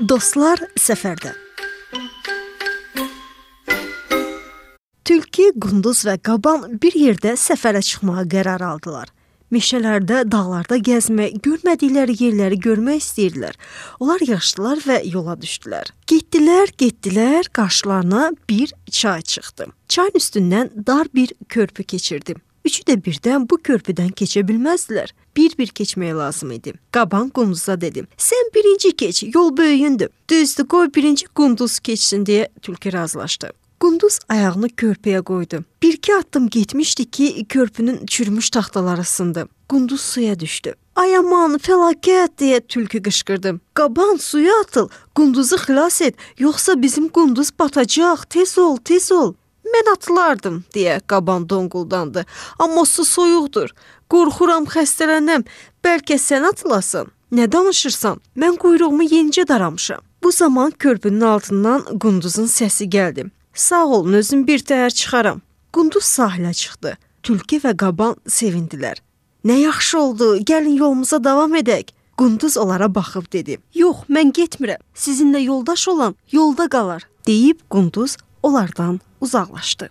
Dostlar səfərdə. Tülkü, qunduz və qaban bir yerdə səfərə çıxmağa qərar aldılar. Meşələrdə, dağlarda gəzmək, görmədikləri yerləri görmək istəyirdilər. Onlar yaşdılar və yola düşdülər. Getdilər, qarşılarına bir çay çıxdı. Çayın üstündən dar bir körpü keçirdi. Üçü də birdən bu körpüdən keçə bilməzdilər. Bir-bir keçmək lazım idi. Qaban qunduza dedi: "Sən birinci keç, yol böyüyündür. Düzdür, qoy birinci qunduz keçsin" deyə tülkü razılaşdı. Qunduz ayağını körpüyə qoydu. Bir-iki addım getmişdi ki, körpünün çürümüş taxtaları sındı. Qunduz suya düşdü. "Ay aman, fəlakət" deyə tülkü qışqırdı. "Qaban, suya atıl, qunduzu xilas et, yoxsa bizim qunduz batacaq. Tez ol, tez ol." "Mən atılardım" deyə qaban donquldandı. "Amma su soyuqdur. Qorxuram xəstələnəm. Bəlkə sən atılasan." "Nə danışırsan? Mən quyruğumu yenicə daramışam." Bu zaman körpünün altından qunduzun səsi gəldi. "Sağ olun, özüm bir təhər çıxaram." Qunduz sahilə çıxdı. Tülkü və qaban sevindilər. "Nə yaxşı oldu, gəlin yolumuza davam edək." Qunduz onlara baxıb dedi: "Yox, mən getmirəm. Sizinlə yoldaş olan yolda qalar." deyib qunduz onlardan uzaqlaşdı.